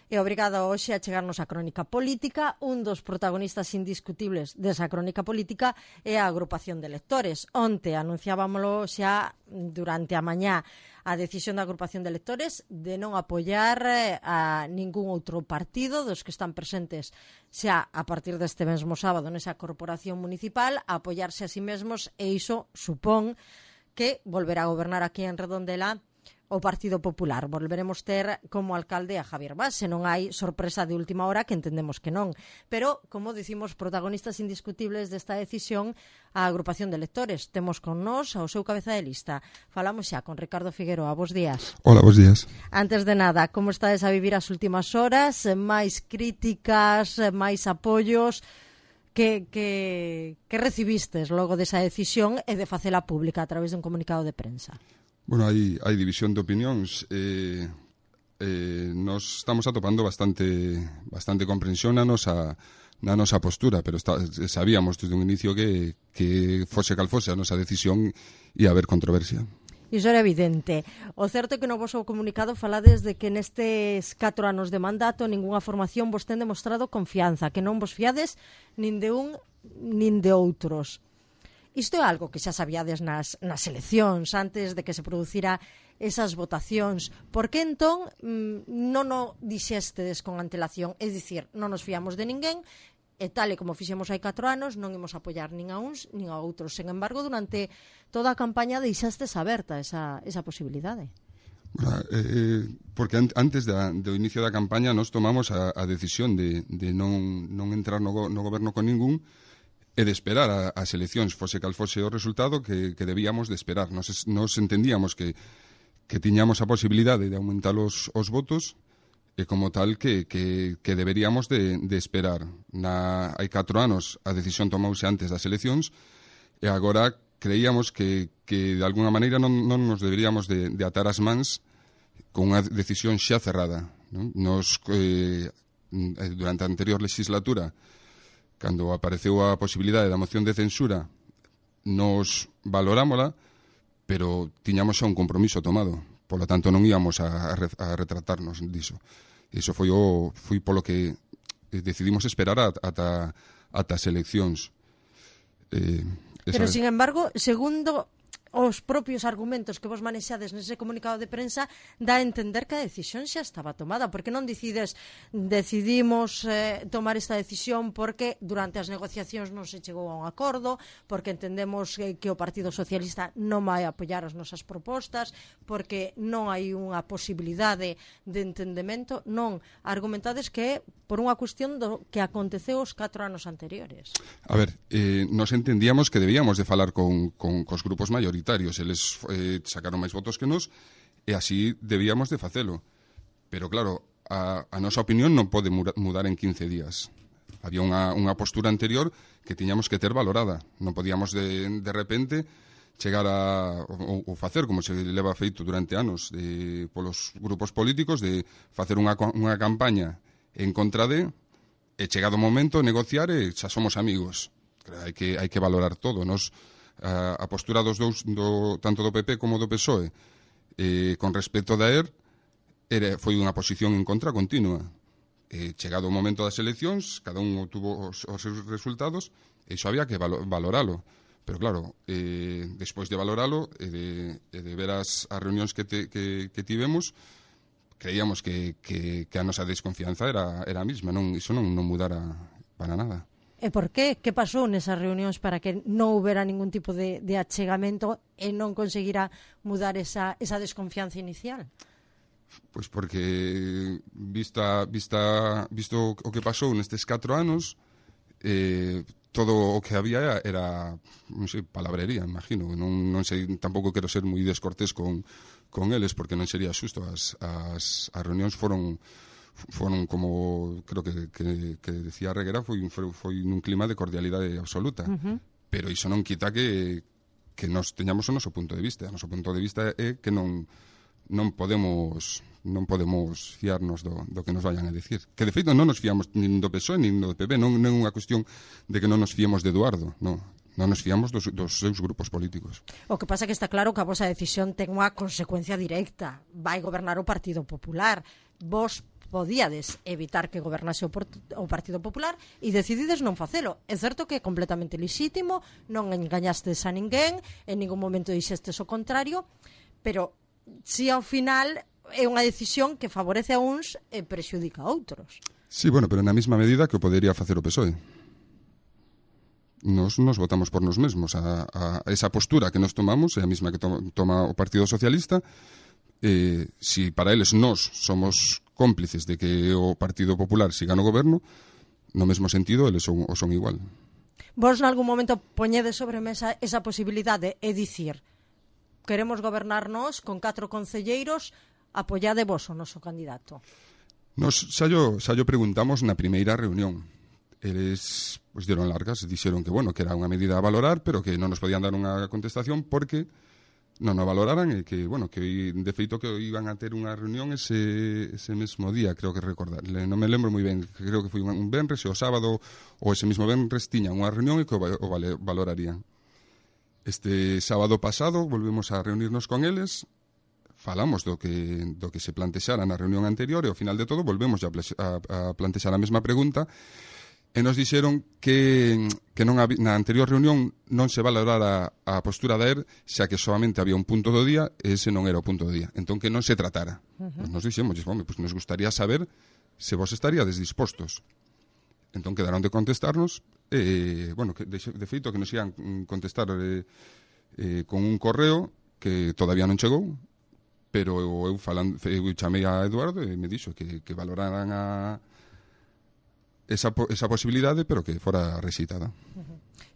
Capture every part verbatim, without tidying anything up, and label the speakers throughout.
Speaker 1: E obrigada hoxe a chegarnos a Crónica Política. Un dos protagonistas indiscutibles desa Crónica Política é a agrupación de lectores. Onte anunciábamolo xa durante a mañá a decisión da agrupación de lectores de non apoiar a ningún outro partido dos que están presentes xa a partir deste mesmo sábado nesa corporación municipal, a apoiarse a sí mesmos, e iso supón que volverá a gobernar aquí en Redondela o Partido Popular. Volveremos ter como alcalde a Javier Bas, se non hai sorpresa de última hora, que entendemos que non. Pero, como dicimos, protagonistas indiscutibles desta decisión, a agrupación de lectores. Temos con nós ao seu cabeza de lista. Falamos xa con Ricardo Figueroa. Bos días.
Speaker 2: Hola, bos días.
Speaker 1: Antes de nada, como estades a vivir as últimas horas? Máis críticas, máis apoios? Que, que, que recivistes logo desa decisión e de facela pública a través dun comunicado de prensa?
Speaker 2: Bueno, hai, hai división de opinións. Eh, eh, nos estamos atopando bastante bastante comprensión na nosa, na nosa postura, pero está, sabíamos desde un inicio que, que fose cal fose a nosa decisión ia haber controversia.
Speaker 1: Iso era evidente. O certo é que no vosso comunicado falades de que nestes catro anos de mandato ningunha formación vos ten demostrado confianza, que non vos fiades nin de un nin de outros. Isto é algo que xa sabíades nas, nas eleccións, antes de que se producira esas votacións. Por que entón mmm, non o dixestes con antelación? É dicir, non nos fiamos de ninguén, e tal e como fixemos hai catro anos, non imos apoiar nin a uns nin a outros. Sen embargo, durante toda a campaña deixastes aberta esa, esa posibilidade.
Speaker 2: Bueno, eh, porque an, antes da, do inicio da campaña nos tomamos a, a decisión de, de non, non entrar no, go, no goberno con ningún, e de esperar a, as eleccións, fose cal fose o resultado que, que debíamos de esperar. Nos, nos entendíamos que, que tiñamos a posibilidade de aumentar os, os votos, e como tal que, que, que deberíamos de, de esperar. Na, hai catro anos a decisión tomouse antes das eleccións, e agora creíamos que, que de alguna maneira non, non nos deberíamos de, de atar as mans con unha decisión xa cerrada, non? Nos, eh, durante a anterior legislatura, cando apareceu a posibilidade da moción de censura, nos valorámola, pero tiñamos xa un compromiso tomado. Por lo tanto, non íamos a, a retratarnos diso. Iso foi o foi polo que decidimos esperar ata, ata as eleccións. Eh,
Speaker 1: pero, sin embargo, segundo os propios argumentos que vos manexades nese comunicado de prensa, dá a entender que a decisión xa estaba tomada. Porque non decides, decidimos eh, tomar esta decisión porque durante as negociacións non se chegou a un acordo, porque entendemos eh, que o Partido Socialista non vai apoiar as nosas propostas, porque non hai unha posibilidade de entendemento. Non, argumentades que é por unha cuestión do que aconteceu os catro anos anteriores.
Speaker 2: A ver, eh, nos entendíamos que debíamos de falar con, con cos grupos maioritarios. Eles eh, sacaron máis votos que nos, e así debíamos de facelo. Pero claro, a, a nosa opinión non pode mudar en quince días. Había unha, unha postura anterior que tiñamos que ter valorada. Non podíamos de, de repente chegar a ou, ou facer como se leva feito durante anos de, polos grupos políticos, de facer unha, unha campaña en contra de, e chegado o momento negociar e xa somos amigos. Hai que, hai que valorar todo. Nos, a, a postura dos dous, do, tanto do P P como do P S O E, eh, con respecto da E R, era, foi unha posición en contra continua. Eh, chegado o momento das eleccións, cada un obtuvo os, os seus resultados, e iso había que valo, valoralo. Pero claro, eh, despois de valoralo e de, e de ver as, as reunións que, te, que, que tivemos, creíamos que, que, que a nosa desconfianza era, era a mesma, non, iso non, non mudara para nada.
Speaker 1: E por qué? Que pasou nesas reunións para que non houbera ningún tipo de, de achegamento e non conseguira mudar esa, esa desconfianza inicial?
Speaker 2: Pois porque, vista, vista, visto o que pasou nestes catro anos, eh, todo o que había era, non sei, palabrería, imagino. Non, non sei, tampouco quero ser moi descortés con, con eles, porque non sería xusto. As, as, as reunións foron foron como, creo que, que, que decía Reguera, foi, foi, foi nun clima de cordialidade absoluta. Uh-huh. Pero iso non quita que, que nos teñamos o noso punto de vista. O noso punto de vista é que non, non podemos non podemos fiarnos do, do que nos vayan a decir. Que, de feito, non nos fiamos nin do P S O E nin do P P. Non, non é unha cuestión de que non nos fiemos de Eduardo, non. Non nos fiamos dos, dos seus grupos políticos.
Speaker 1: O que pasa é que está claro que a vosa decisión ten unha consecuencia directa. Vai gobernar o Partido Popular. Vos podíades evitar que gobernase o, o Partido Popular e decidides non facelo. É certo que é completamente lixítimo, non engañastes a ninguén, en ningún momento dixestes o contrario, pero si ao final é unha decisión que favorece a uns e prexudica a outros.
Speaker 2: Sí, bueno, pero na mesma medida que o podería facer o P S O E. Nos, nos votamos por nos mesmos. A, a esa postura que nos tomamos é a mesma que to, toma o Partido Socialista. Eh, si para eles nós somos cómplices de que o Partido Popular siga no goberno, no mesmo sentido, eles son, o son igual.
Speaker 1: Vos nalgún momento poñedes sobre mesa esa posibilidade e dicir, queremos gobernarnos con catro concelleiros, apoiade vos o noso candidato.
Speaker 2: Nos xa yo, xa yo preguntamos na primeira reunión. Eles pues, dieron largas, dixeron que, bueno, que era unha medida a valorar, pero que non nos podían dar unha contestación porque non o valoraran e que, bueno, que de feito que iban a ter unha reunión ese, ese mesmo día, creo que recordar. Non me lembro moi ben, creo que foi un venres e o sábado ou ese mesmo venres tiñan unha reunión e que o, o valorarían. Este sábado pasado volvemos a reunirnos con eles, falamos do que, do que se plantexara na reunión anterior e ao final de todo volvemos a, a, a plantexar a mesma pregunta e nos dixeron que, que non había, na anterior reunión non se valorara a postura da E R xa que solamente había un punto do día e ese non era o punto do día, entón que non se tratara. Uh-huh. Pues nos dixemos, pues nos gustaría saber se vos estaríades dispostos. Entón quedaron de contestarnos e, bueno, que de, de feito que nos ian contestar eh, eh, con un correo que todavía non chegou, pero eu, falando, eu chamei a Eduardo e me dixo que, que valoraran a esa, esa posibilidade, pero que fora rexeitada.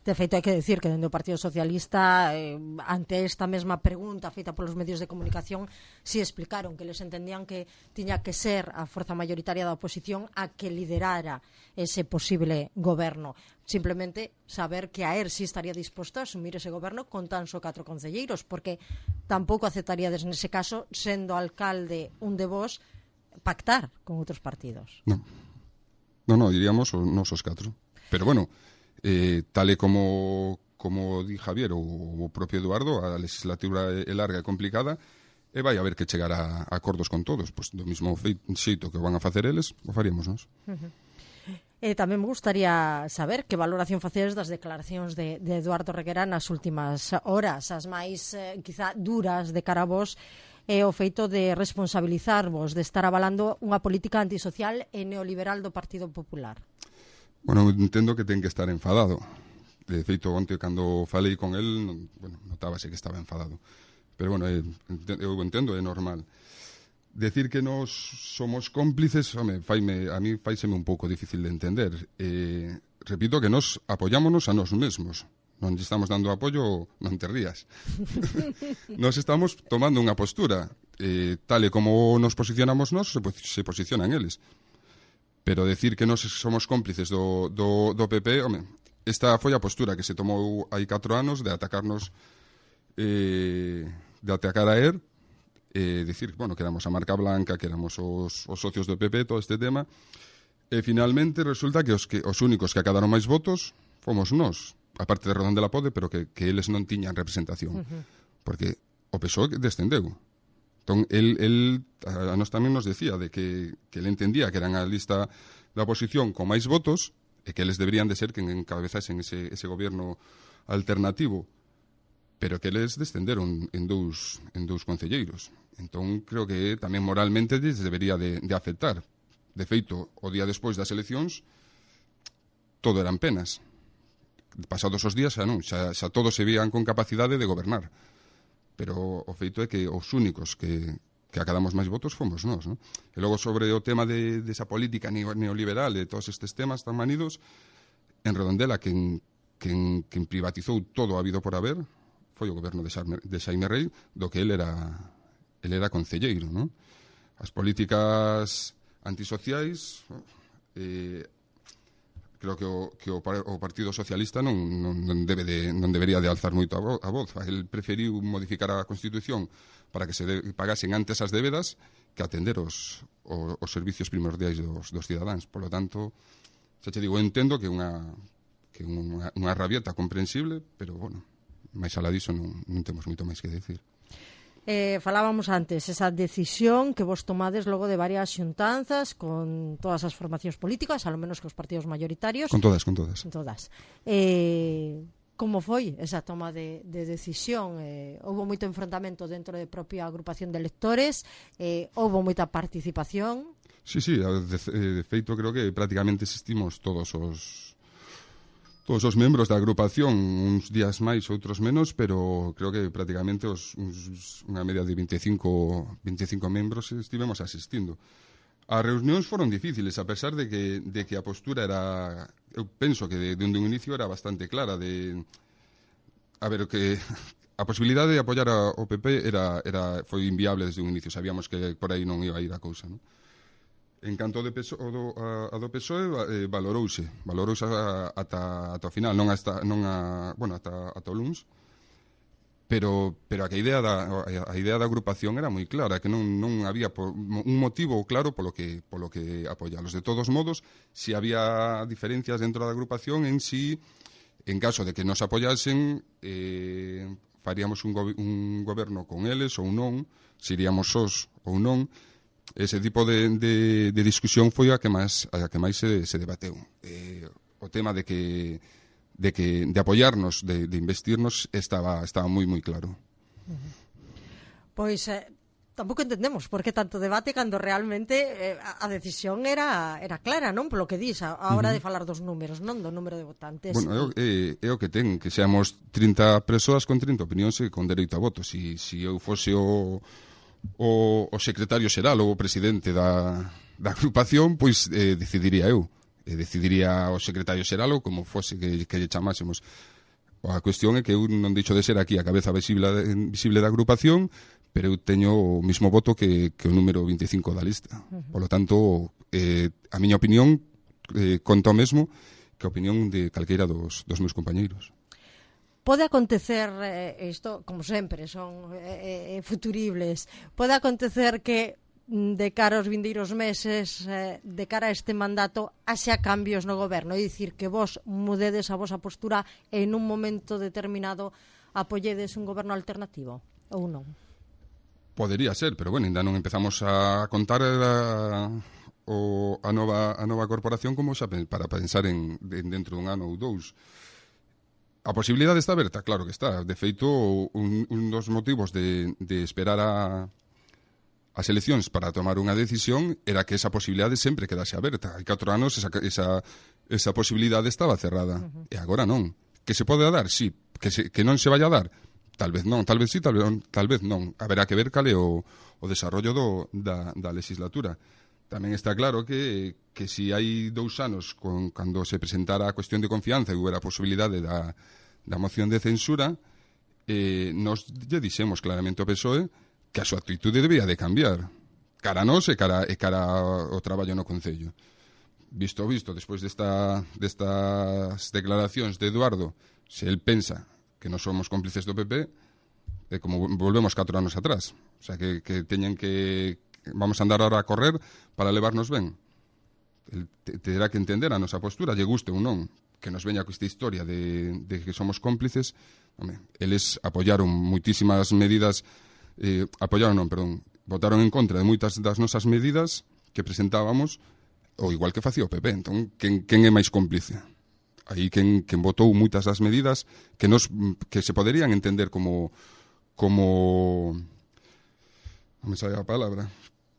Speaker 1: De feito, hai que decir que dentro do Partido Socialista, eh, ante esta mesma pregunta feita polos medios de comunicación, si explicaron que les entendían que tiña que ser a forza mayoritaria da oposición a que liderara ese posible goberno. Simplemente saber que a E R si estaría disposto a asumir ese goberno con tan só catro concelleiros, porque tampouco aceptaríades nese caso, sendo alcalde un de vos, pactar con outros partidos.
Speaker 2: Non, non, no, diríamos os nosos catro. Pero bueno, eh, tal e como, como di Javier ou o propio Eduardo, a legislatura é larga e complicada, e vai haber que chegar a, a acordos con todos. Pois do mesmo xeito que van a facer eles, o faríamos nós.
Speaker 1: Uh-huh. E tamén me gustaría saber que valoración facedes das declaracións de, de Eduardo Reguera nas últimas horas, as máis, eh, quizá, duras de cara a vos, e o feito de responsabilizarvos, de estar avalando unha política antisocial e neoliberal do Partido Popular.
Speaker 2: Bueno, entendo que ten que estar enfadado. De feito, onte, cando falei con el, bueno, notábase que estaba enfadado. Pero, bueno, eu entendo, é normal. Decir que nós somos cómplices, home, faime, a mí faiseme un pouco difícil de entender. Eh, repito que nós apoyámonos a nós mesmos. Non estamos dando apoio, non te rías. Nós estamos tomando unha postura. Eh, tal e como nos posicionamos nós, se, se posicionan eles. Pero decir que nós somos cómplices do, do, do P P, home, esta foi a postura que se tomou hai catro anos de atacarnos, eh, de atacar a E R, eh, decir, bueno, que éramos a marca blanca, que éramos os, os socios do P P, todo este tema, e finalmente resulta que os, que os únicos que acadaron máis votos fomos nós, aparte de Redondela Pode, pero que, que eles non tiñan representación, uh-huh. Porque o P S O E descendeu. Entón, el, el a nos tamén nos decía de que, que ele entendía que eran a lista da oposición con máis votos e que eles deberían de ser que encabezasen ese, ese goberno alternativo, pero que eles descenderon en dous, en dous concelleiros. Entón, creo que tamén moralmente les debería de, de aceptar. De feito, o día despois das eleccións, todo eran penas. Pasados os días, xa non, xa, xa todos se vían con capacidade de gobernar. Pero o feito é que os únicos que, que acadamos máis votos fomos nós, non? E logo sobre o tema de, de esa política neoliberal e todos estes temas tan manidos, en Redondela, quen, quen, quen privatizou todo o habido por haber foi o goberno de Xaime, de Xaime Rei, do que ele era, ele era concelleiro, non? As políticas antisociais, eh, creo que o, que o, o Partido Socialista non, non, non, debe de, non debería de alzar moito a, vo, a voz. El preferiu modificar a Constitución para que se de, pagasen antes as débedas que atender os, os, os servicios primordiais dos, dos cidadáns. Por lo tanto, xa te digo, entendo que unha, que unha, unha rabieta comprensible, pero, bueno, máis alá diso non, non temos moito máis que decir.
Speaker 1: Eh, falábamos antes, esa decisión que vos tomades logo de varias xuntanzas con todas as formacións políticas, ao menos que os partidos mayoritarios.
Speaker 2: Con todas, con todas.
Speaker 1: Con todas. Eh, como foi esa toma de, de decisión? Eh, houve moito enfrontamento dentro da propia agrupación de electores, eh, houve moita participación.
Speaker 2: Sí, sí, de, de feito creo que prácticamente existimos todos os todos os membros da agrupación, uns días máis, outros menos, pero creo que prácticamente os, uns, unha media de veinticinco membros estivemos asistindo. As reunións foron difíciles, a pesar de que, de que a postura era, eu penso que de, de un inicio era bastante clara, de, a ver, que a posibilidade de apoiar a, o P P era, era, foi inviable desde un inicio, sabíamos que por aí non iba a ir a cousa, non? En canto de peso, do, a, a do P S O E eh, valorouse, valorouse ata, ata o final, non hasta, non a, bueno, ata, ata o luns, pero, pero a, que a, idea da, a idea da agrupación era moi clara, que non, non había por, un motivo claro polo que, polo que apoialos. De todos modos, si había diferencias dentro da agrupación en si, en caso de que nos apoyasen, eh, faríamos un, go, un goberno con eles ou non, se iríamos sós ou non. Ese tipo de, de, de discusión foi a que máis a que máis se, se debateu. Eh, o tema de que de que de apoiarnos, de, de investirnos estaba estaba moi moi claro.
Speaker 1: Uh-huh. Pois eh, tampouco entendemos por que tanto debate cando realmente eh, a decisión era era clara, non? Polo que dis, a, a hora uh-huh. de falar dos números, non do número de votantes.
Speaker 2: Bueno, é, é o que ten, que seamos trinta persoas con trinta opinións e con dereito a voto. Si, si eu fose o O, o secretario xeral ou o presidente da, da agrupación, pois eh, decidiría eu. Eh, decidiría o secretario xeral ou como fose que, que lle chamásemos. A cuestión é que eu non deixo de ser aquí a cabeza visible, visible da agrupación, pero eu teño o mismo voto que, que o número veinticinco da lista. Uh-huh. Por lo tanto, eh, a miña opinión eh, conta o mesmo que a opinión de calqueira dos, dos meus compañeiros.
Speaker 1: Pode acontecer, eh, isto, como sempre, son eh, futuribles, pode acontecer que de cara aos vindeiros meses, eh, de cara a este mandato, haxa cambios no goberno, é dicir, que vos mudedes a vosa postura e en un momento determinado apoyedes un goberno alternativo, ou non?
Speaker 2: Podería ser, pero bueno, ainda non empezamos a contar a, o, a, nova, a nova corporación como xa para pensar en, en dentro dun ano ou dous. A posibilidade está aberta, claro que está. De feito, un, un dos motivos de, de esperar a, as eleccións para tomar unha decisión era que esa posibilidade sempre quedase aberta. Hai catro anos esa, esa, esa posibilidade estaba cerrada. Uh-huh. E agora non. Que se pode dar? Sí. Que, se, que non se vai a dar? Tal vez non. Tal vez sí, tal vez, tal vez non. Haberá que ver cal é o, o desarrollo do, da, da legislatura. Tamén está claro que, que si hai dous anos, con, cando se presentara a cuestión de confianza e hubiera a posibilidade da, da moción de censura, eh, nos lle dixemos claramente ao P S O E que a súa actitude debía de cambiar. Cara a nós e cara, e cara ao traballo no Concello. Visto visto, despois desta, destas declaracións de Eduardo, se el pensa que non somos cómplices do P P, é como volvemos catro anos atrás. O sea, que, que teñen que... vamos a andar ahora a correr para levarnos ben. El te, terá que entender a nosa postura, lle guste ou non, que nos veña con esta historia de, de que somos cómplices. Home, eles apoyaron moitísimas medidas, eh, apoyaron non, perdón, votaron en contra de moitas das nosas medidas que presentábamos, ou igual que facía o P P. Entón, quen, quen é máis cómplice? Aí quen, quen votou moitas das medidas que, nos, que se poderían entender como... como non me sale a palabra,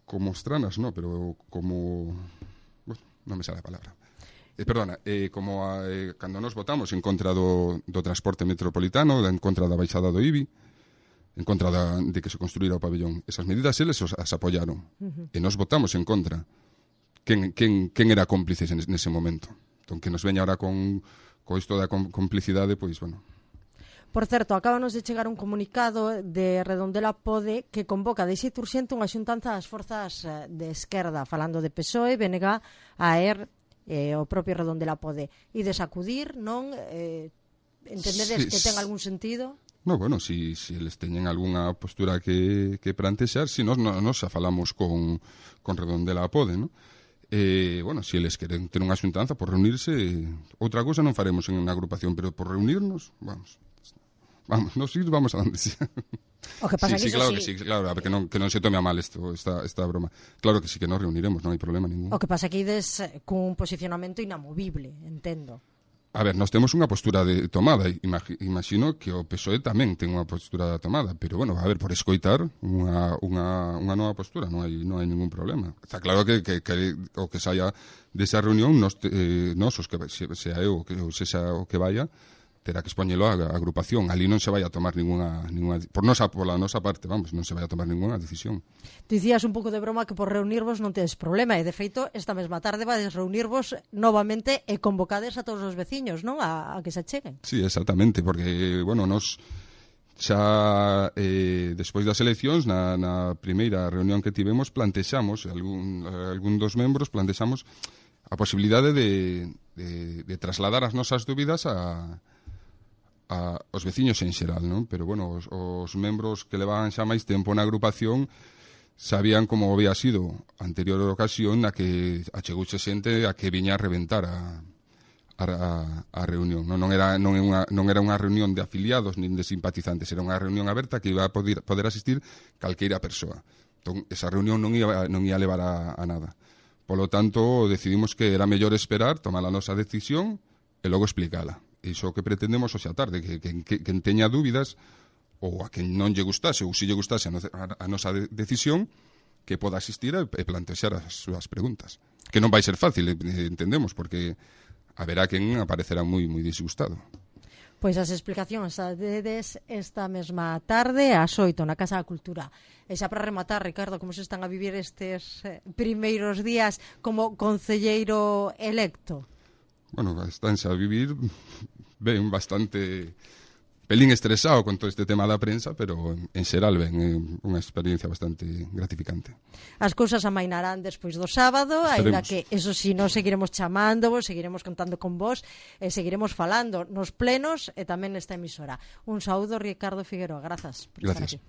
Speaker 2: como estranas, no, pero como... Bueno, non me sale a palabra. Eh, perdona, eh, como a, eh, cando nos votamos en contra do, do transporte metropolitano, en contra da baixada do I B I, en contra da, de que se construíra o pabellón. Esas medidas eles os, as apoyaron. Uh-huh. E nos votamos en contra. Quen, quen, quen era cómplice nese momento? Entón, que nos veña ahora con, con isto da complicidade, pois, bueno...
Speaker 1: Por certo, acábanos de chegar un comunicado de Redondela Pode que convoca de xeito urxente unha xuntanza das forzas de esquerda, falando de P S O E, B N G, A E R, eh, o propio Redondela Pode. E de sacudir, non? Eh, entendedes sí, que ten algún sentido?
Speaker 2: No, bueno, si, si eles teñen algunha postura que, que plantexar, si nos, nos, nos xa falamos con, con Redondela Pode, non? Eh, bueno, si eles queren ter unha xuntanza por reunirse, outra cousa non faremos en unha agrupación, pero por reunirnos, vamos... vamos, nos ir vamos a donde sea.
Speaker 1: O que pasa
Speaker 2: sí,
Speaker 1: que
Speaker 2: sí, claro
Speaker 1: sí.
Speaker 2: que sí, claro, a ver, que non, que non se tome a mal esto, esta, esta broma. Claro que sí, que nos reuniremos, non hai problema ningún.
Speaker 1: O que pasa que ides cun posicionamento inamovible, entendo.
Speaker 2: A ver, nós temos unha postura de tomada, imagino que o P S O E tamén ten unha postura tomada, pero bueno, a ver, por escoitar unha, unha, unha nova postura, non hai, non hai ningún problema. Está claro que, que, que o que saia desa reunión, nos, eh, nos os que se, sea eu, que, ou se xa o que vaya, terá que expoñelo a, a agrupación. Ali non se vai a tomar ninguna, ninguna por nosa, pola nosa parte, vamos, non se vai a tomar ninguna decisión.
Speaker 1: Dicías un pouco de broma que por reunirvos non tedes problema, e de feito, esta mesma tarde vades reunirvos novamente e convocades a todos os veciños, non? A, a que se acheguen.
Speaker 2: Sí, exactamente, porque, bueno, nos xa eh, despois das eleccións, na, na primeira reunión que tivemos, plantexamos, algún, algún dos membros plantexamos a posibilidade de, de, de trasladar as nosas dúbidas a a, os veciños en xeral, non? Pero, bueno, os, os membros que levaban xa máis tempo na agrupación sabían como había sido a anterior ocasión na que achegouse xente a que viña a reventar a, a, a reunión. Non, non, era, non, unha, non era unha reunión de afiliados nin de simpatizantes, era unha reunión aberta que iba a poder, poder asistir calqueira persoa. Entón, esa reunión non ia, non ia levar a, a nada. Polo tanto, decidimos que era mellor esperar, tomar a nosa decisión e logo explicala. Iso que pretendemos hoxe a tarde, que, que, que, que teña dúbidas ou a quen non lle gustase ou se lle gustase a, no, a, a nosa de, decisión, que poda asistir e, e plantexar as súas preguntas. Que non vai ser fácil, entendemos, porque haberá quen aparecerá moi moi disgustado.
Speaker 1: Pois as explicacións as dedes esta mesma tarde ás oito na Casa da Cultura. E xa para rematar, Ricardo, como se están a vivir estes eh, primeiros días como concelleiro electo?
Speaker 2: Bueno, estánse a vivir ben bastante pelín estresado con todo este tema da prensa, pero en xeral ben, é unha experiencia bastante gratificante.
Speaker 1: As cousas amainarán despois do sábado, aínda que, eso si, nos seguiremos chamándovos, seguiremos contando con vos, e seguiremos falando nos plenos e tamén nesta emisora. Un saúdo, Ricardo Figueroa, grazas por estar aquí.